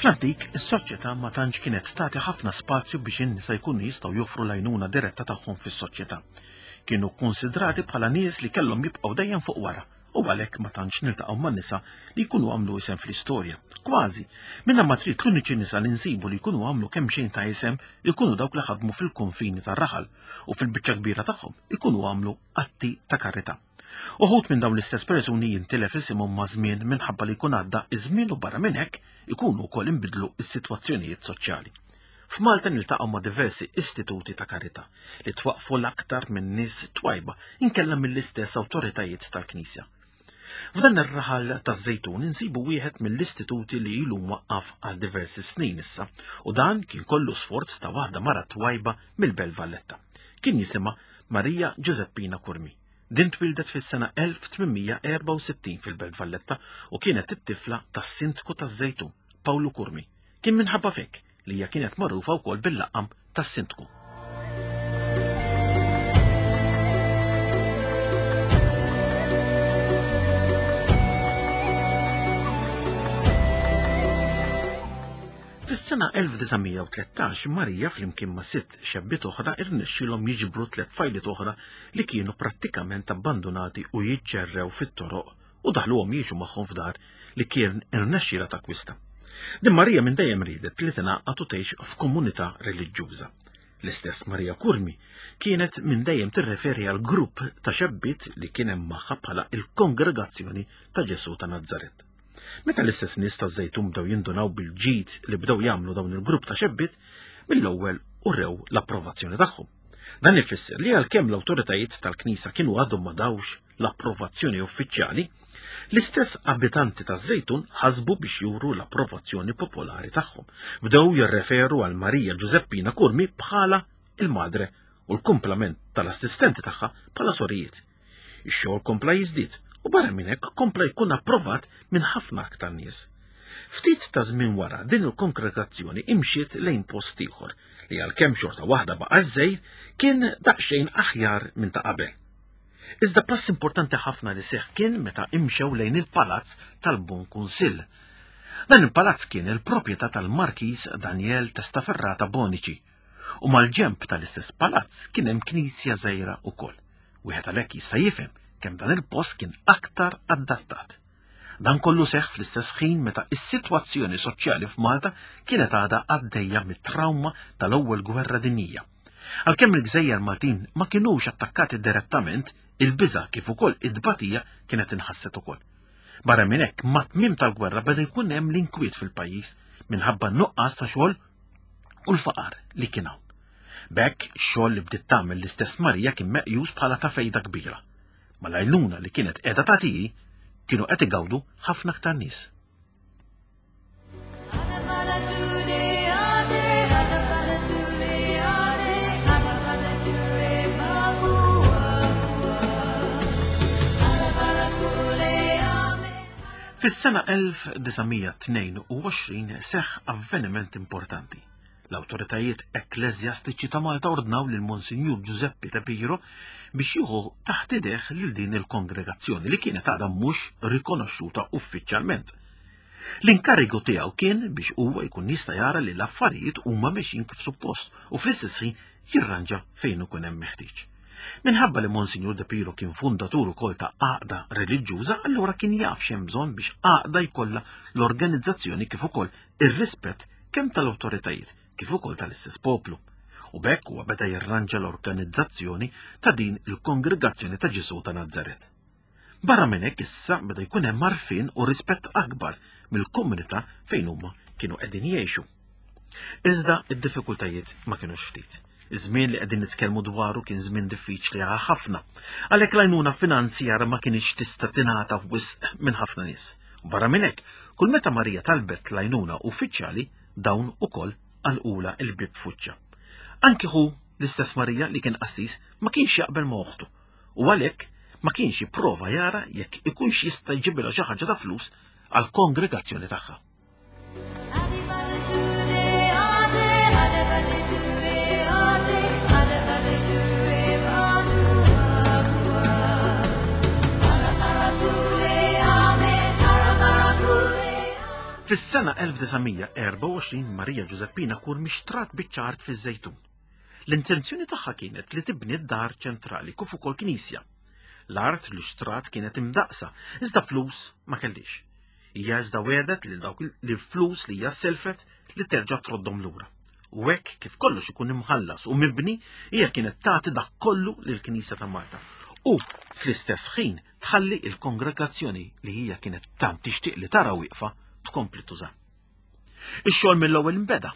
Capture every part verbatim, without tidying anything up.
Fl-antik, is-soċjetà ma tantx kienet tagħti ħafna spazju biex in-nisa jkunu jistgħu joffru l-għajnuna diretta tagħhom fis-soċjetà. Kienu kkunsidrati bħala nies li kellhom jibqgħu dejjem fuq wara u għalhekk ma tantx niltaqgħu ma' nisa li jkunu għamlu isem fl-istorja. Kważi, minna ma trid l-uniċi nisa li nsibu li jkunu għamlu kemm xejn ta' isem ikunu dawk li ħadmu fil-konfini tar-raħal u fil-biċċa kbira tagħhom ikunu għamlu atti ta' karità. Uħud minn dawn l-istess persuni jintilef isimhom ma' żmien minħabba li jkun għadda iż-żmien u barra minn hekk ikunu wkoll inbidlu s-sitwazzjonijiet soċjali. F'Malta niltaqgħu ma' diversi istituti ta' karità li twaqfu l-aktar minn nies twajba inkella mill-istess awtoritajiet tal-Knisja. F'dan ir-raħal taż-Żejtun insibu wieħed mill-istituti li ilu mwaqqaf għal diversi snin issa u dan kien kollu sforz ta' waħda mara twajba mill-Belt Valletta. Kien jisimha Marija Giuseppina Curmi. Din twildet fis-sena elf tmien mija erbgħa u sittin fil-Belt Valletta u kienet it-tifla tas-sindku taż-Żejtun, Pawlu Curmi. Kien minħabba fek li hija kienet magħrufa wkoll bil-laqam tas-sindku. Fis-sena elf disa' mija u tlettax Marija flimkien ma' sitt xebbiet oħra irnexxielhom jiġbru tliet tfajliet oħra li kienu prattikament abbandonati u jiġġerrew fit-toroq u daħluhom jgħixu magħhom f'dar li kien irnexxielha takkwista. Din Marija minn dejjem riedet li tingħaqad u tgħix f'komunità reliġjuża. L-istess Marija Curmi kienet minn dejjem tirreferi għal grupp ta' xebbiet li kien hemm magħha bħala il-Kongregazzjoni ta' Ġesù ta' Nazaret. Meta l-istess nies taż-Żejtun bdew jindunaw bil-ġid li bdew jagħmlu dawn il-grupp ta' xebbiet, mill-ewwel urew l-approvazzjoni tagħhom. Dan ifisser li għalkemm l-awtoritajiet tal-Knisja kienu għadhom ma dawx l-approvazzjoni uffiċjali, l-istess abitanti taż-Żejtun ħasbu biex juru l-approvazzjoni popolari tagħhom. Bdew jirreferu għal Marija Giuseppina Curmi bħala il-madre u l-kumplament tal-assistenti tagħha bħala sorijiet. Ix-xogħol kompla jiżdied u barra minn hekk kompla jkun approvat minn ħafna aktar nies. Ftit ta' żmien wara din il-kongregazzjoni imxiet lejn post ieħor li għalkemm xorta waħda baqa' żejr kien daqsxejn aħjar minn ta' qabel. Iżda pass importanti ħafna li seħħ kien meta imxew lejn il-palazz tal-Bon Kunsill. Dan il-palazz kien il-proprjetà tal-Markiż Daniel Testaferrata Bonici u mal-ġemp tal-istess palazz kien hemm knisja żgħira wkoll. Wieħed għalhekk jista' jifhem kemm dan il-post kien aktar adattat. Dan kollu seħħ fl-istess ħin meta is-sitwazzjoni soċjali f'Malta kienet għadha għaddejja mit-trawma tal-ewwel gwerra dinjija. Għalkemm il-gżejjer Maltin ma kinux attakkati direttament, il-biża' kif ukoll id-tbatija kienet inħasset ukoll. Barra minn hekk, mat-tmiem tal-gwerra beda jkun hemm l-inkwiet fil-pajjiż minħabba n-nuqqas ta' xogħol u l-faqar li kien hawn. B'hekk, ix-xogħol li bdiet tagħmel l-istess Marija kien meqjus bħala ta' fejda kbira. Mal-għajnuna li kienet qiegħda tagħti kienu qed igawdu ħafna aktar nies. Fis-sena elf disa' mija tnejn u għoxrin seħħ avveniment importanti. L-awtoritajiet ekkleżjastiċi ta' Malta ordnaw lil Monsinjur Giuseppe De Piro biex jieħu taħt idejh lil din il-kongregazzjoni li kienet għadha mhux rikonoxxuta uffiċjalment. L-inkarigu tiegħu kien biex huwa jkun jista' jara li l-affarijiet huma mexjin kif suppost u fl-istess ħin jirranġa fejn ikun hemm meħtieġ. Minħabba li Monsinjur De Piro kien fundatur ukoll ta' għaqda reliġjuża, allura kien jaf x'hemm bżonn biex għaqda jkollha l-organizzazzjoni kif ukoll ir-rispett kemm tal-awtoritajiet kif ukoll tal-istess poplu. U b'hekk huwa beda jirranġa l-organizzazzjoni ta' din il-Kongregazzjoni ta' Ġesù ta' Nazaret. Barra minn hekk issa beda jkun hemm għarfien u rispett akbar mill-komunità fejn huma kienu qegħdin jgħixu. Iżda id-diffikultajiet ma kinux ftit. Iż-żmien li qegħdin nitkellmu dwaru kien żmien diffiċli għal ħafna, għalhekk l-għajnuna finanzjara ma kinitx tista' tingħata wisq minn ħafna nies. U barra minn hekk, kull meta Marija talbet l-għajnuna uffiċjali, dawn ukoll għalqula l-bieb f'wiċċha. Anki hu l-istess Marija li kien qassis ma kienx jaqbel ma' oħtu u għalhekk ma kienx jipprova jara jekk ikunx jista' jġibilha xi ħaġa ta' flus għall-kongregazzjoni tagħha. Fis-sena elf disa' mija erbgħa u għoxrin Marija Ġużeppina Curmi xtrat biċċa art fiż-Żejtun. L-intenzjoni tagħha kienet li tibni d-dar ċentrali kif ukoll knisja. L-art li xtrat kienet imdaqsa, iżda flus ma kellix. Hija iżda wegħdet li dawk li flus li hija selfet li terġa' troddhom lura. U hekk kif kollox ikun imħallas u mibni, hija kienet tagħti dak kollu lill-Knisja ta' Malta. U fl-istess ħin tħalli il-kongregazzjoni li hija kienet tant tixtieq li tara wieqfa tkompli tuża. Ix-xogħol mill-ewwel inbeda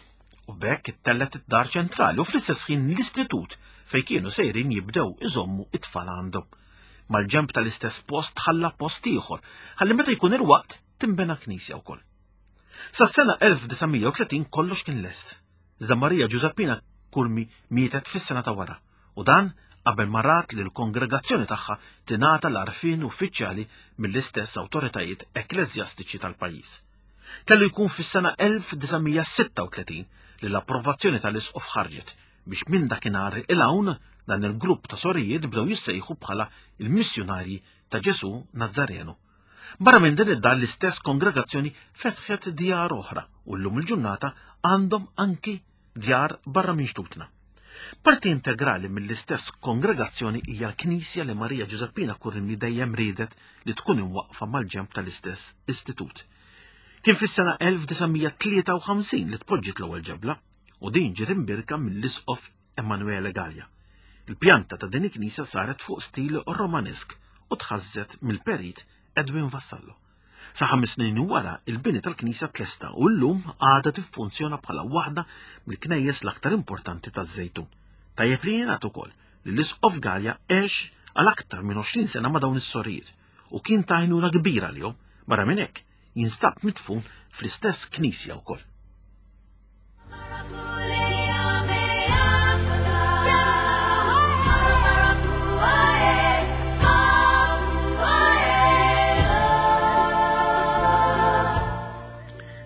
u b'hekk ittellet id-dar ċentrali u fl-istess ħin l-istitut fejn kienu sejrin jibdew iżommu it-tfal għandhom. Mal-ġenb tal-istess post tħalla post ieħor, ħalli meta jkun il-waqt tinbena knisja wkoll. Sas-sena elf disa' mija u tletin kollox kien lest. Iżda Marija Ġużeppina Curmi mietet fis-sena ta' wara u dan qabel ma rat li l-kongregazzjoni tagħha tingħata l-għarfien uffiċjali mill-istess awtoritajiet ekkleżjastiċi tal-pajjiż. Kellu jkun fis-sena elf disa' mija sitta u tletin li l-approvazzjoni tal-isqof ħarġet biex minn dakinhar il hawn dan il-grupp ta' sorijiet bdew jissejħu bħala il-missjunarji ta' Ġesu Nazzarenu. Barra minn din id-dar l-istess kongregazzjoni fetħet djar oħra u llum il-ġurnata għandhom anki djar barra minn xtutna. Parti integrali mill-istess kongregazzjoni hija l-knisja li Marija Ġużeppina Curmi dejjem riedet li tkun imwaqqfa mal-ġenb tal-istess istitut. Kien fis-sena elf disa' mija tlieta u ħamsin li tpoġġiet l-ewwel ġebla u din ġiet imbirka mill-isqof Emanuele Gallia. Il-pjanta ta' din il-knisja saret fuq stil Romanesk u tħażżet mill-perit Edwin Vassallo. Sa ħames snin wara il-bini tal-knisja tlesta u llum għadha tiffunzjona bħala waħda mill-knejjes l-aktar importanti taż-Żejtun. Tajjeb li jingħad ukoll li l-isqof Gallia għex għal aktar minn għoxrin sena ma' dawn is-sorijiet u kien ta' għajnuna kbira lihom. Barra minn hekk jinstab midfun fl-istess knisja wkoll.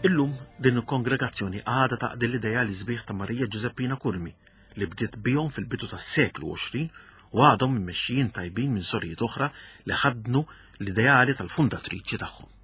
Illum din il-kongregazzjoni għadha taqdi l-idea li sbieħ ta' Marija Ġużeppina Curmi li bdiet bihom fil-bidu tas-seklu għoxrin u għadhom immexxijin tajbin minn sorijiet oħra li ħadnu l-ideali tal-fundatriċi tagħhom.